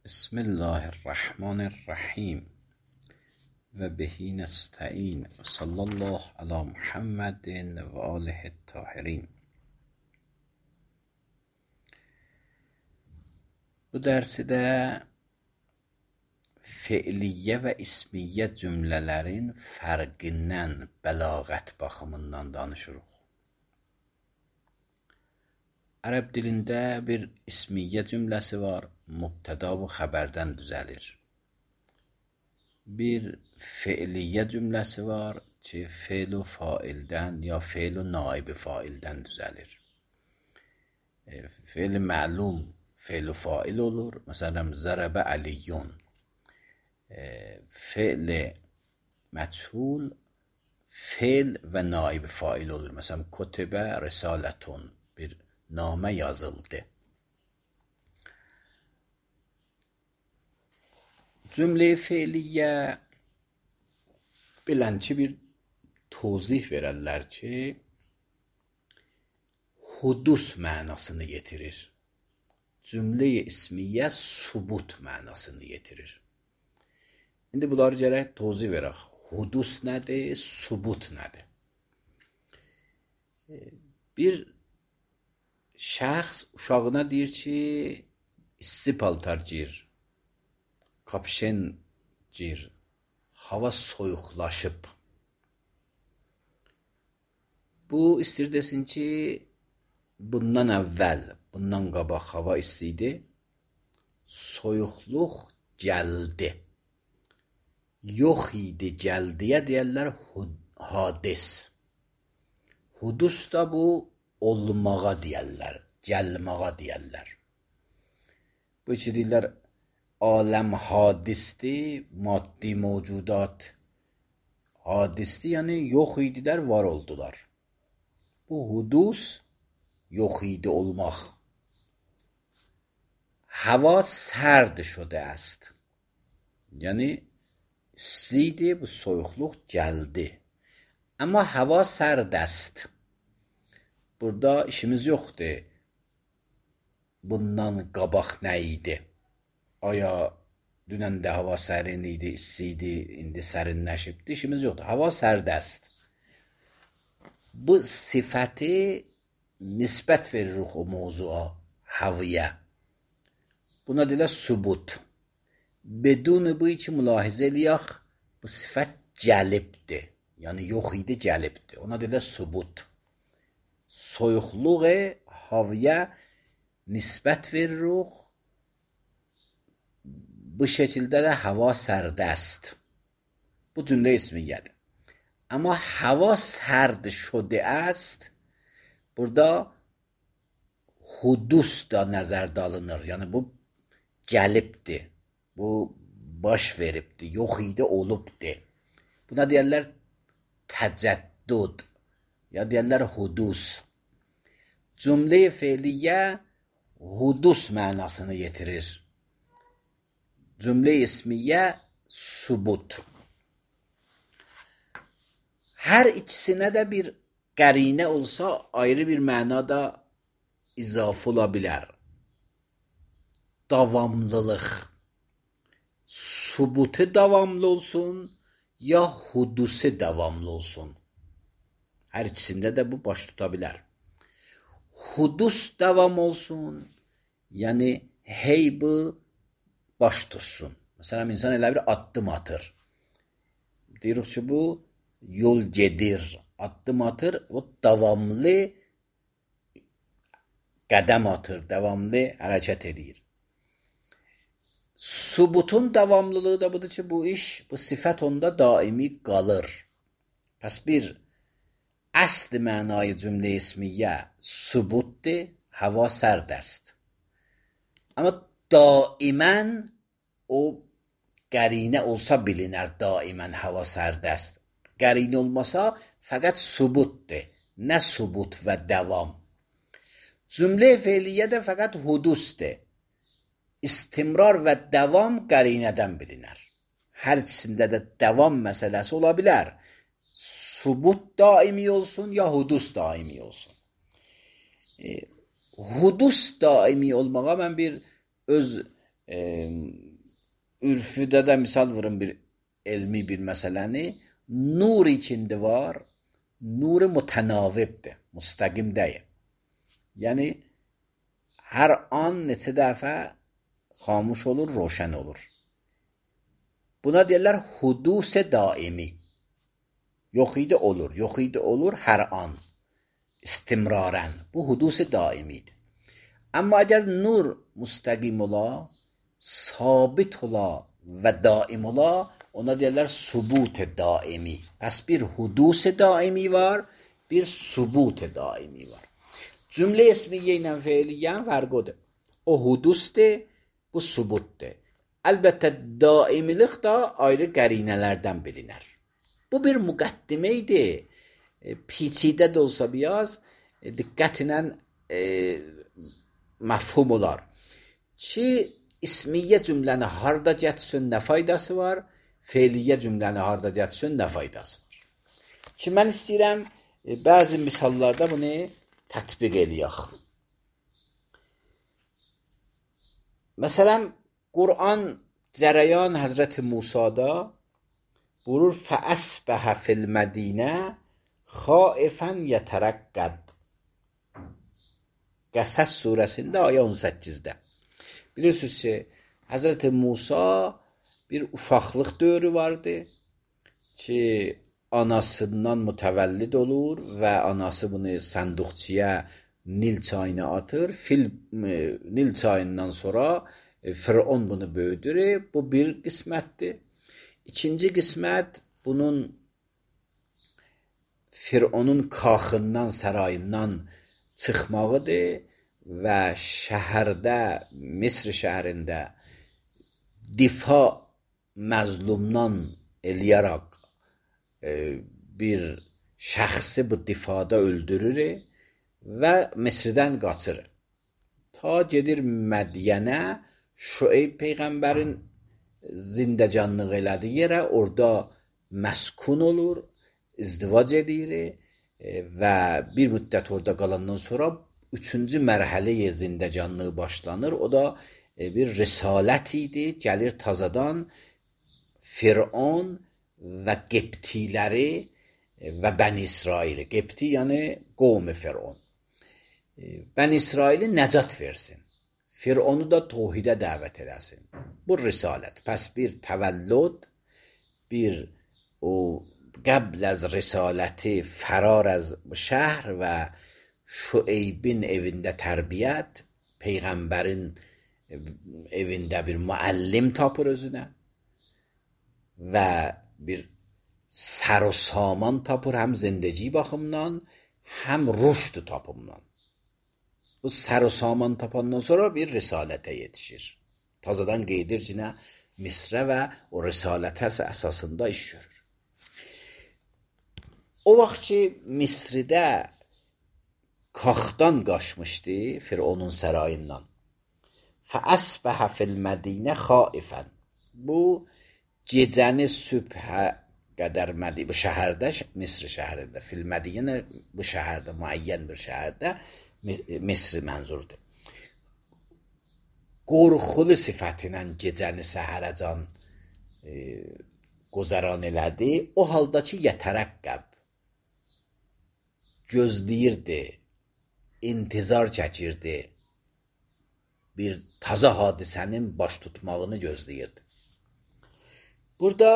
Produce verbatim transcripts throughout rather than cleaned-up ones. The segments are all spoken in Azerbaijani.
Bismillahirrahmanirrahim və bihi nəstəin və sallallahu ala Muhammedin və alihi tahirin. Bu dərsidə fe'liyyə və ismiyyə cümlələrin fərqindən bəlağət baxımından danışırıq. Ərəb dilində bir ismiyyə cümləsi var, mübtəda və xəbərdən düzəlir. Bir fe'liyyə cümləsi var ki, fe'l-u faildən ya fe'l-u naib faildən düzəlir. Fe'l-i məlum fe'l-u fail olur. Məsələn, zərəbə əliyyun. Fe'l-i məchul fe'l və naib fail olur. Məsələn, kutibə risalətun, bir namə yazıldı. Cümlə-i fe'liyyə bilənçi bir tozih verərlər ki, hudus mənasını getirir. Cümlə-i ismiyyə subut mənasını getirir. İndi bunları gərək tozih verək. Hudus nədir, subut nədir? Bir şəxs uşağına deyir ki, isti paltar gir, kapşen gir, hava soyuqlaşıb. Bu istir desin ki, bundan əvvəl, bundan qabaq hava isti idi, soyuqluq gəldi. Yox idi, gəldiyə deyərlər hadis. Hudus da bu olmağa deyərlər, gəlmağa deyərlər. Bu ki deyirlər, aləm hadisdir, maddi mövcudat hadisdir, yəni yox idilər, var oldular. Bu hudus, yox idi olmaq. Hava sərd şudə است. Yəni, istiydi, bu soyuqluq gəldi. Amma hava sərd است. Burada işimiz yoxdur. Bundan qabaq nə idi? Aya dünən də hava sərin idi, isti idi, indi sərinləşibdir. İşimiz yoxdur. Hava sərd است. Bu sifəti nisbət veririk o mövzuğa, havaya. Buna deyirlər subut. Bedun bu ki mülahizə eləyək, bu sifət gəlibdir. Yəni yox idi, gəlibdir. Ona deyirlər subut. Soyuqluğu havaya nisbət veririk. Bu şəkildə də hava sərd است. Bu cümlə ismiyyədir. Amma hava sərd şudə است, burada hudus da nəzərdə alınır. Yəni bu gəlibdir. Bu baş veribdir. Yox idi, olubdur. Buna deyərlər təcəddüd. Ya deyərlər hudus. Cümlə-i fe'liyyə hudus mənasını getirir. Cümlə-i ismiyyə subut. Hər ikisinə də bir qərinə olsa ayrı bir mənada izafə ola bilər. Davamlılıq. Subutu davamlı olsun ya hudusu davamlı olsun. Hər ikisində də bu baş tuta bilər. Hudus davam olsun, yəni hey bu baş tutsun. Məsələn, insan elə bir addım atır. Deyirik ki, bu yol gedir, addım atır, o davamlı qədəm atır, davamlı hərəkət edir. Subutun davamlılığı da budur ki, bu iş, bu sifət onda daimi qalır. Pəs bir əsl mənayı cümlə ismiyyə subutdir, hava sərd است. Amma daimən o qərinə olsa bilinər, daimən hava sərd است. Qərinə olmasa fəqət subutdir, nə subut və davam. Cümlə fe'liyyə də fəqət hudusdur. İstimrar və davam qərinədən bilinər. Hər ikisində də davam məsələsi ola bilər. Subut daimi olsun ya hudus daimi olsun. E, hudus daimi olmağa mən bir öz e, ürfüdə də misal vurum bir elmi bir məsələni, nur içində var, nuru mütənavibdir, müstəqim deyil. Yəni hər an neçə dəfə xamuş olur, roşən olur. Buna deyirlər hudus daimi. Yox idi olur, yox idi olur hər an. İstimrarən. Bu hudus daimidir. Amma əgər nur müstəqim ola, sabit ola və daim ola, ona deyirlər subut daimi. Pəs bir hudus daimi var, bir subut daimi var. Cümlə ismiyyə ilə feiliyyən fərqodur. O hudusdur, bu subutdur. Əlbəttə daimilik də ayrı qərinələrdən bilinər. Bu bir müqəddimə idi. E, Piçidə də olsa biraz e, diqqətlə e, məfhum olar. Ki ismiyyə cümləni harda gətirsin, nə faydası var? Feiliyyə cümləni harda gətirsin, nə faydası var? Ki mən istəyirəm e, bəzi misallarda bunu tətbiq eləyək. Məsələn, Qur'an cərəyan Həzrəti Musada buyurur fəəsbəhə fil mədinə xaifən yətərəqqəb. Qəsəs surəsində ayə on səkkizdə. Bilirsiniz ki, Həzrəti Musa bir uşaqlıq dövrü vardı ki, anasından mütəvəllid olur və anası bunu sənduqçiyə Nil çayına atır. Fil, Nil çayından sonra e, Firon bunu böyüdür. Bu bir qismətdir. İkinci qismət bunun Fironun kaxından, sarayından çıxmağıdır və şəhərdə, Misr şəhərində difa məzlumdan eləyərək e, bir şəxsi bu difada öldürür və Misrdən qaçır. Ta gedir Mədyənə, Şüeyb peyğəmbərin zindəcanlıq elədiyi yerə, orada məskun olur, izdivac edir e, və bir müddət orada qalandan sonra üçüncü mərhələyə zindəcanlığı başlanır. O da e, bir risalət idi, gəlir tazadan Firon və Qibtiləri e, və Bəni İsraili. Qibti yəni qovmi Firon. E, Bəni İsraili nəcat versin. Fironu da tohidə dəvət eləsin. Bu risalət. Pəs bir təvəllüd, bir o qəbl az risaləti fərar az şəhər və Şüeybin evində tərbiyyət, peyğəmbərin evində bir müəllim tapır özünə və bir sər o saman tapır, həm zindəci baxımdan, həm rüşd tapımdan. Bu sər o saman tapandan sonra bir risalətə yetişir. Tazadan qeydir cinə Misrə və o risalətə əsasında iş görür. O vaxt ki, Misridə Kaxdan qaçmışdı, Fironun sərayından. Fəəsbəhə fil mədinə xaifən. Bu, gecəni sübhə qədər mədi, bu şəhərdə, Misr şəhərində, fil mədinə bu şəhərdə, müəyyən bir şəhərdə, Misri mənzurdur. Qorxulu sifətinə gecəni səhərəcan e, qozaran elədi. O halda ki, yətərəqqəb, gözləyirdi, intizar çəkirdi, bir taza hadisənin baş tutmağını gözləyirdi. Burada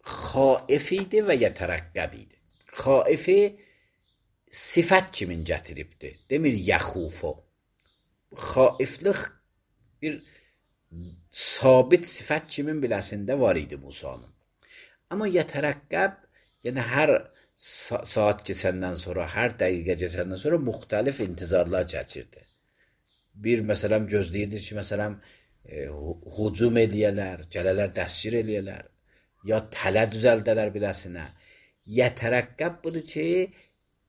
xaif idi və yətərəqqəb idi. Xaifi sifət kimin gətiribdi? Demir yəxufo. Xaiflik bir sabit sifət kimin biləsində var idi Musanın. Amma yətərəqqəb, yəni hər saat keçəndən sonra, hər dəqiqə keçəndən sonra müxtəlif intizarlar çəkirdi. Bir, məsələn, gözləyirdi ki, məsələn, e, hücum eləyələr, gələlər dəstgir eləyələr, ya tələ düzəldələr biləsinə. Yətərəqqəb budur ki,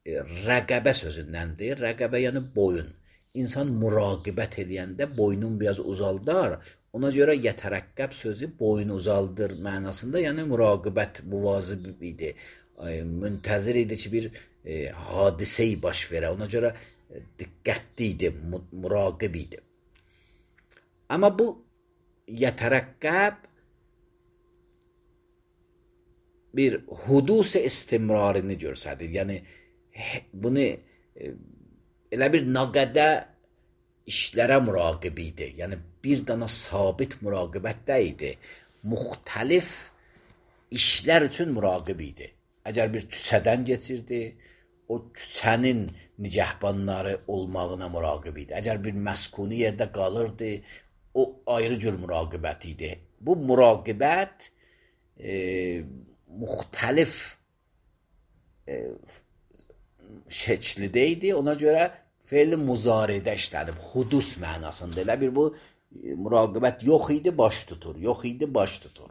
e, rəqəbə sözündəndir. Rəqəbə yəni boyun. İnsan müraqibət eləyəndə boynun biraz uzaldar. Ona görə yətərəqqəb sözü boyun uzaldır mənasında, yəni müraqibət muvazib idi. Müntəzir idi ki, bir e, hadisə-i baş verə. Ona görə e, diqqətli idi, müraqib idi. Amma bu yətərəqqəb bir hudus istimrarini görsədir. Yəni bunu elə bir naqədə işlərə müraqib idi. Yəni bir dana sabit müraqibətdə idi. Müxtəlif işlər üçün müraqib idi. Əgər bir küçədən keçirdi, o küçənin nicəhbanları olmağına müraqib idi. Əgər bir məskuni yerdə qalırdı, o ayrı cür müraqibət idi. Bu müraqibət e, müxtəlif e, şəklidə idi. Ona görə fe'l muzaridə işlədib. Hudus mənasında. Elə bir bu e, müraqibət yox idi, baş tutur. Yox idi, baş tutur.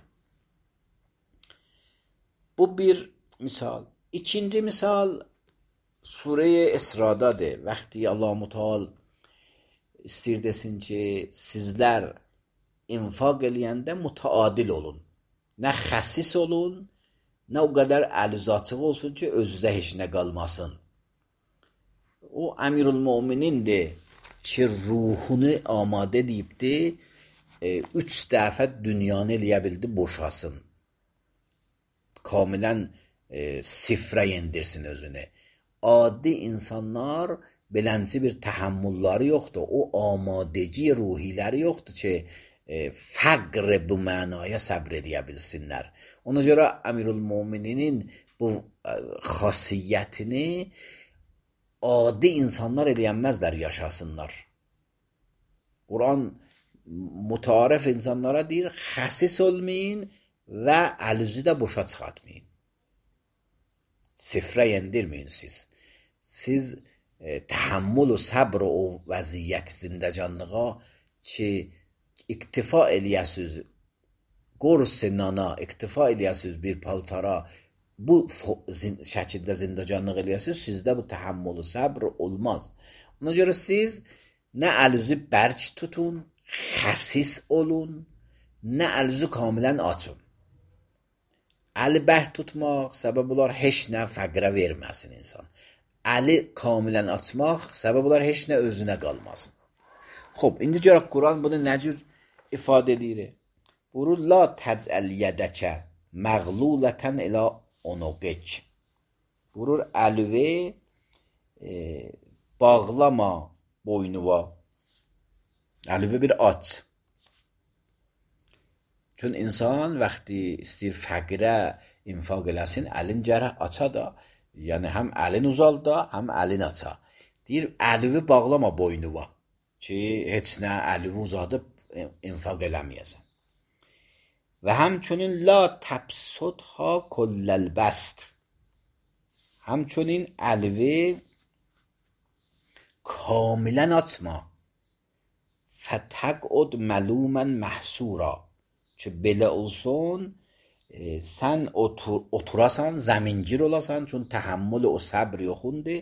Bu bir misal. İkinci misal Surə-i İsradadır. Vaxtı Allah-u Teala istəyir desin ki, sizlər infaq eləyəndə mütəadil olun. Nə xəsis olun, nə o qədər əlüzaçıq olsun ki, özünüzə heç nə qalmasın. O Əmirül Möminindir ki, ruhunu amadə deyibdi, e, üç dəfə dünyanı eləyə bildi, boşasın. Kamilən e, sifrə yendirsin özünü. Adi insanlar belənci bir təhəmmülləri yoxdur. O amadeci ruhiləri yoxdur ki, e, fəqr bu mənaya səbr edə bilsinlər. Ona görə Əmirül Mömininin bu e, xasiyyətini adi insanlar eləyənməzlər, yaşasınlar. Quran mütarif insanlara deyir, xəsis olmayın və əlüzü də boşa çıxartmayın. Sifrə yendirməyin siz. Siz e, təhəmmül və səbr o vəziyyət zindəcanlığa ki, iktifa eləyəsiz, qorsi nana, iktifa eləyəsiz bir paltara, bu zin, şəkildə zindəcanlıq eləyəsiz, sizdə bu təhəmmül və səbr olmaz. Ona görə siz nə əlüzü bərk tutun, xəsis olun, nə əlüzü kamilən açın. Əli bərk tutmaq səbəb olar heç nə fəqrə verməsin insan. Əli kamilən açmaq səbəb olar heç nə özünə qalmasın. Xob, indi görək Quran bunu nə cür ifadə edir? Buyurur, la təcəl yədəkə məğlulətən ilə onuqik. Buyurur, əlüvi e, bağlama boynuva. Əlüvi bir aç. Çün insan vaxtı istəyir fəqirə infaq eləsin, əlin gərək aça da, yəni həm əlin uzal da, həm əlin aça. Deyir, əlüvi bağlama boynuva ki, heç nə əlüvi uzadıb infaq eləməyəsən. Və həmçinin la təbsudha kulləlbəst. Həmçinin əlüvi kamilən açma. Fətəqud məlumən məhsura. Ki, belə olsun, e, sən otur, oturasan, zəmincir olasan, çün təhəmmül o səbr yoxundur,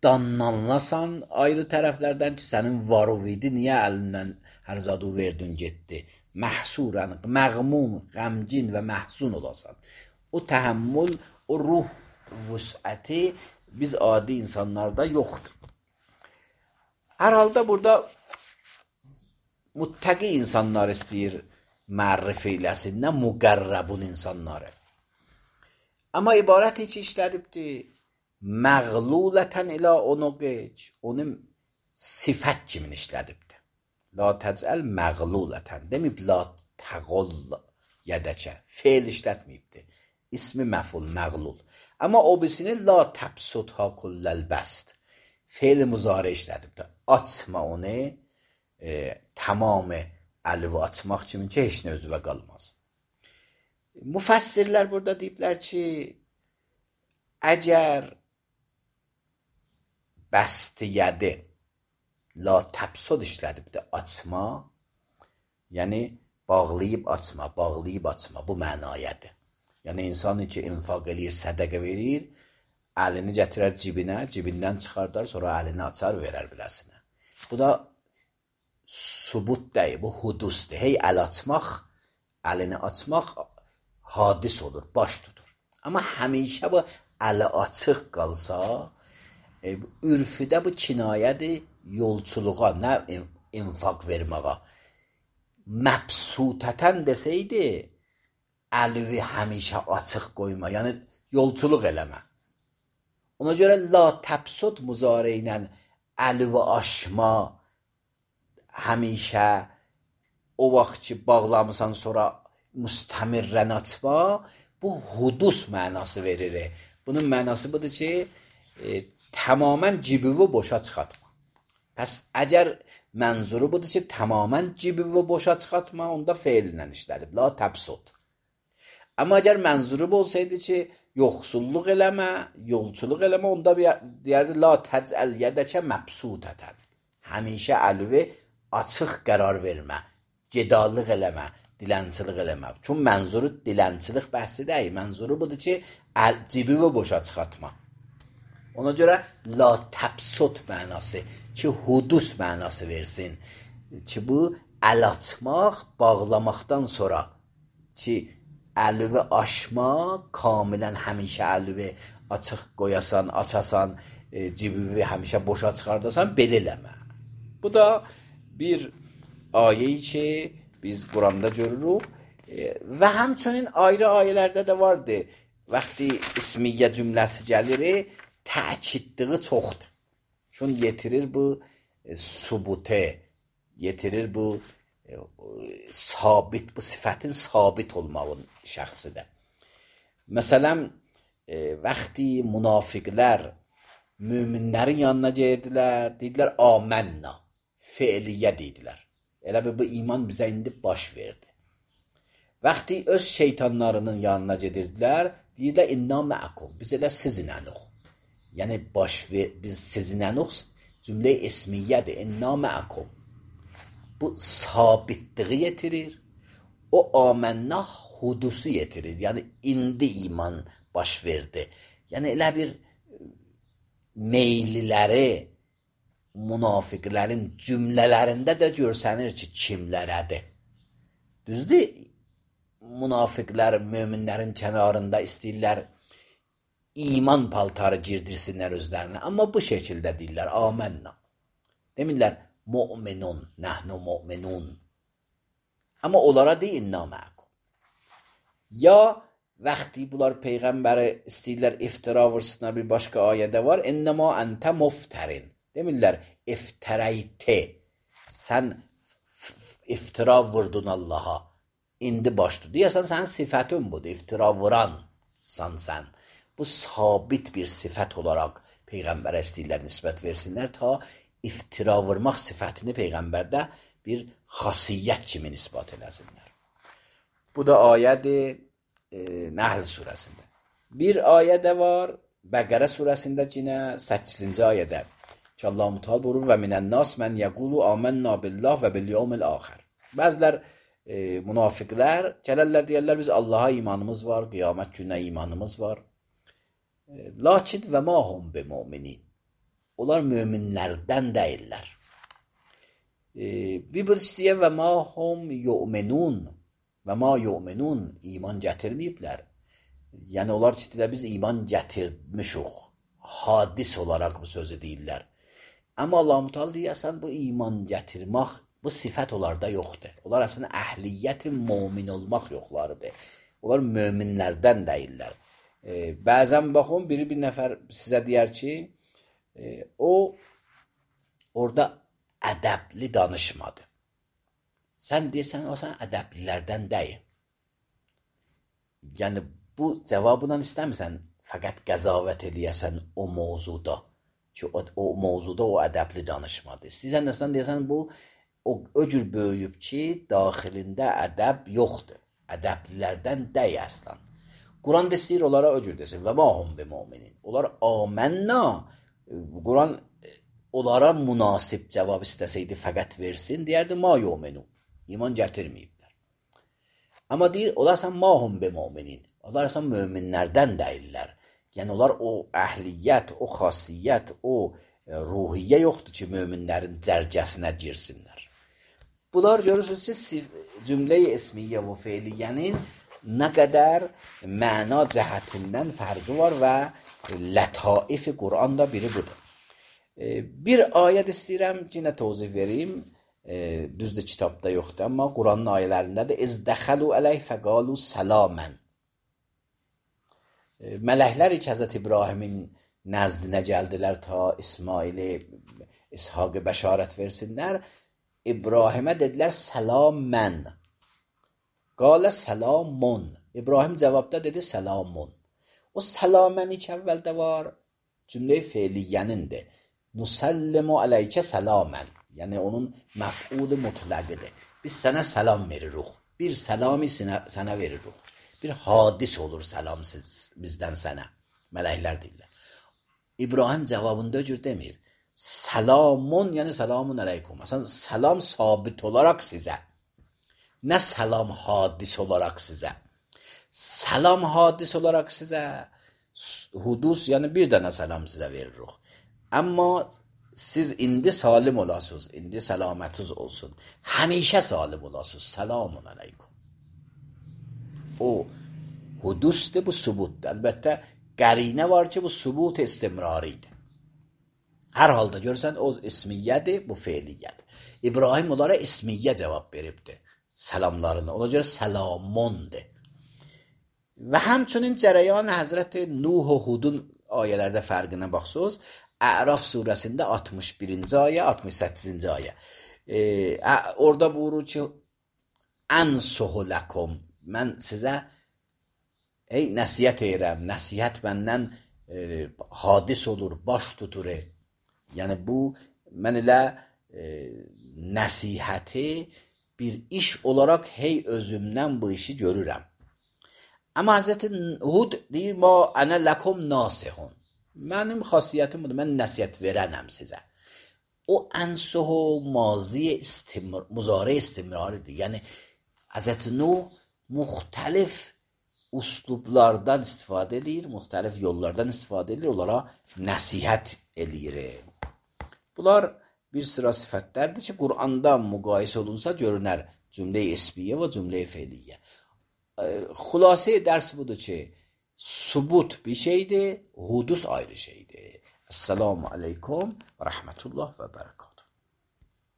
danlanlasan ayrı tərəflərdən ki, sənin varuvidi niyə əlindən hər zadı verdin, getdi. Məhsurən, məğmun, qəmcin və məhzun olasan. O təhəmmül, o ruh vüsəti biz adi insanlarda yoxdur. Hər halda burada muttəqi insanlar istəyir mərrif eyləsin, nə müqərrəbun insanları. Amma ibarət heç işlədibdir. Məğlulətən ilə onu qeç, onu sifət kimin işlədibdir. La təcəl məğlulətən, deməyib la təqol yədəkə, feil işlətməyibdir. İsmi məful, məğlul. Amma o birisini la təbsudha kulləlbəst, feil müzarə işlədibdir. Açma onu, e, tamamı əlüvü açmaq kimin ki, heç nə özüvə qalmaz. Müfəssirlər burada deyiblər ki, əgər bəstiyyədi la təbsud işlədibdir, açma, yəni bağlayıb açma, bağlayıb açma, bu mənayədir. Yəni insan ki, infaq eləyir, sədəqə verir, əlini gətirər cibinə, cibindən çıxardar, sonra əlini açar, verər biləsinə. Bu da subut deyil, bu hudusdur. Hey, əl açmaq, əlini açmaq hadis olur, baş tutur. Amma həmişə bu əli açıq qalsa, e, ürfüdə bu kinayədir yolçuluğa, nə infaq verməğa. məbsutətən desəydi, əlivi həmişə açıq qoyma, yəni yolçuluq eləmə. Ona görə la təbsut muzari ilə əlivi aşma, həmişə o vaxt ki bağlamısan sonra müstəmirrən açma, bu hudus mənası verir. Bunun mənası budur ki, e, tamamən cibivi boşa çıxartma. Pəs əgər mənzuru budur ki, tamamən cibivi boşa çıxartma, onda feillə işlədib. La təbsut. Amma əgər mənzuru olsaydı ki, yoxsulluq eləmə, yolçuluq eləmə, onda deyərdi la təcəl yədəkə məbsutətən. Həmişə əlivi açıq qərar vermə, gedallıq eləmə, dilənçilik eləmə. Çünki mənzuru dilənçilik bəhsi deyil. Mənzuru budur ki, cibivi boşa çıxartma. Ona görə la təbsut mənası ki, hudus mənası versin. Ki bu əl açmaq, bağlamaqdan sonra ki, əlivi aşma, kamilən həmişə əlivi açıq qoyasan, açasan, e, cibivi həmişə boşa çıxardasan, belə eləmə. Bu da bir ayə ki, biz Quranda görürük e, və həmçinin ayrı ayələrdə də vardır. Vaxtı ismiyyə cümləsi gəlir, təkidliği çoxdur. Çünki yetirir bu e, subute, yetirir bu e, sabit, bu sifətin sabit olmağın şəxsidir. Məsələn, e, vaxtı münafiqlər müminlərin yanına gəldilər, dedilər amənna, feiliyyə dedilər. Elə bir bu iman bizə indi baş verdi. Vaxtı öz şeytanlarının yanına gedirdilər, deyirlər inna məəkum, biz elə sizinlənik. Yəni baş ver, biz sizinlənik cümlə ismiyyədir, inna məəkum. Bu sabitliği yetirir, o amənna hudusu yetirir. Yəni indi iman baş verdi. Yəni elə bir meyliləri münafiqlərin cümlələrində də görsənir ki, kimlərədir. Düzdür, münafiqlər möminlərin kənarında istəyirlər iman paltarı girdirsinlər özlərinə. Amma bu şəkildə deyirlər, amənna. Demirlər, mu'minun, nəhnu mu'minun. Amma onlara deyil, inna məəkum. Ya vaxtı bunlar Peyğəmbəri istəyirlər iftira vursunlar, bir başqa ayədə var, innəma əntə muftərin. Demirlər, iftirəyte, sən iftira vurdun Allaha, indi başdı. Deyəsən, sənin sifətin budur, iftira vuransan sən. Bu sabit bir sifət olaraq Peyğəmbərə istəyirlər nisbət versinlər, ta iftira vurmaq sifətini Peyğəmbərdə bir xasiyyət kimi nisbat eləsinlər. Bu da ayədir e, Nəhl surəsində. Bir ayə də var, Bəqərə surəsində yine səkkizinci ayədə. Ki Allah Muteala buyurur və minən-nas mən yəqulu amennə billah və bil yevmil axir. Bəzilər e, münafiqlər gələrlər deyərlər biz Allaha imanımız var, qiyamət gününə imanımız var. E, lakin və ma hum bi müminin. Onlar möminlərdən deyirlər. E, bir bu istəyə və ma hum yu'minun və ma yu'minun iman gətirməyiblər. Yəni onlar ki, biz iman gətirmişik. Hadis olaraq bu sözü deyirlər. Amma Allah Muteala deyəsən bu iman gətirmək, bu sifət onlarda yoxdur. Onlar əslində əhliyyəti mümin olmaq yoxlarıdır. Onlar möminlərdən deyirlər. E, bəzən baxın, biri bir nəfər sizə deyər ki, e, o orada ədəbli danışmadı. Sən deyirsən, o sən ədəblilərdən deyil. Yəni, bu cavabından istəmirsən, fəqət qəzavət eləyəsən o mövzuda. Ki, o, o mövzuda o ədəbli danışmadı. İstəyirsən, nəsən deyəsən, bu o, o cür böyüyüb ki, daxilində ədəb yoxdur. Ədəblilərdən dəy əslən. Quran da istəyir, onlara o cür desin. Və ma hum bi müminin. Onlar amənna. Quran onlara münasib cavab istəsəydi, fəqət versin, deyərdi, ma yu'minu. İman gətirməyiblər. Amma deyir, onlar sən ma hum bi müminin. Onlar sən möminlərdən deyirlər. Yəni, onlar o əhliyyət, o xasiyyət, o ruhiyyə yoxdur ki, möminlərin cərgəsinə girsinlər. Bunlar görürsünüz ki, cümlə-i ismiyyə və feiliyyənin nə qədər məna cəhətindən fərqi var və lətaifi Quranda biri budur. Bir ayət istəyirəm, yine tozif vereyim. e, düzdür kitabda yoxdur, amma Quranın ayələrindədir. İz dəxəlu əleyh fəqalu səlamən. E, mələklər ilk Həzrət İbrahimin nəzdinə gəldilər ta İsmail'i, İshaq'ı bəşarət versinlər. İbrahimə dedilər səlamən. Qalə səlamun. İbrahim cavabda dedi səlamun. O səlamən ilk əvvəldə var. Cümlə-i feiliyyənindir. Nusallimu aleykə səlamən. Yəni onun məf'ulu mutləqidir. Biz sənə səlam veririk. Bir səlami sənə veririk. Bir hadis olur səlam siz, bizdən sənə. Mələklər deyirlər. İbrahim cavabında cür demir. Selamun, yəni selamun aleykum. Aslında selam sabit olarak size. Ne selam hadis olarak size. Selam hadis olarak size. Hudus, yəni bir dənə selam size veririk. Amma siz indi salim olasınız. İndi selametiniz olsun. Həmişə salim olasınız. Selamun aleykum. O hudusdur, bu subutdur. Əlbəttə qərinə var ki, bu subut istimraridir. Hər halda görürsən, o ismiyyədir, bu feiliyyədir. İbrahim onlara ismiyyə cavab veribdir. Səlamlarını. Ona görə səlamundur. Və həmçinin cərəyan Həzrəti Nuh və Hudun ayələrdə fərqinə baxsınız. Əraf surəsində altmış birinci ayə, altmış səkkizinci ayə. E, orada buyurur ki, Ənsuhu ləkum. Mən sizə ey nəsiyyət edirəm. Nəsiyyət məndən e, hadis olur, baş tutur. Yəni bu, mən elə e, nəsihəti bir iş olaraq hey özümdən bu işi görürəm. Amma Həzrəti Hud deyir, ma ənə ləkum nasihun. Mənim xasiyyətim budur, mən nəsiyyət verənəm sizə. O ənsuhu mazi istimr, muzari istimraridir. Yəni Həzrəti Nuh müxtəlif uslublardan istifadə edir, müxtəlif yollardan istifadə edir, onlara nəsihət edir. Bunlar bir sıra sifətlərdir ki, Qur'anda müqayisə olunsa görünər cümlə-i ismiyyə və cümlə-i feiliyyə. Xülasə dərs budur ki, subut bir şeydir, hudus ayrı şeydir. Esselamu aleykum və rəhmətullah və bərəkət.